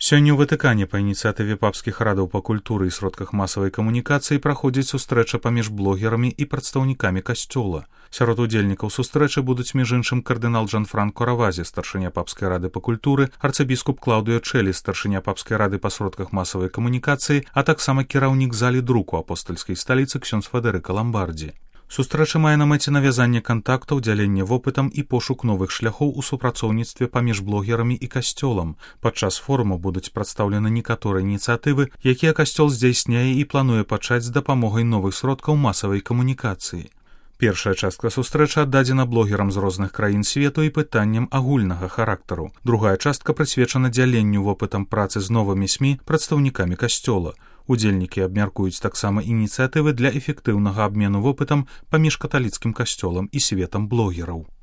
Сёння ў Ватыкане па ініцыятыве папскіх радаў па культуры і сродках масавай камунікацыі праходзіць сустрэча паміж блогерамі і прадстаўнікамі касцёла. Сярод удзельнікаў сустрэчы будуць між іншым кардынал Джанфранко Равазі, старшыня папскай рады па культуры, арцыбіскуп Клаўдыё Чэлі, старшыня папскай рады па сродках масавай камунікацыі, а таксама кіраўнік залі друку апостальскай сталіцы ксёндз Федэрыка Ламбардзі. Сустрэча мае на мэце навязанне кантактаў, дзяленне вопытам і пошук новых шляхоў у супрацоўніцтве паміж блогерамі і касцёлам. Падчас форуму будуць прадстаўлены некаторыя ініцыятывы, якія касцёл здзяйсняе і плануе пачаць з дапамогай новых сродкаў масавай камунікацыі. Першая частка сустрэчы аддадзена блогерам з розных краін свету і пытанням агульнага характару. Другая частка прысвечана дзяленню вопытам працы з новымі СМІ прадстаўнікамі касцёла. Удзельнікі абмяркуюць таксама ініцыятывы для эфектыўнага абмену вопытам паміж каталіцкім касцёлам і светам блогераў.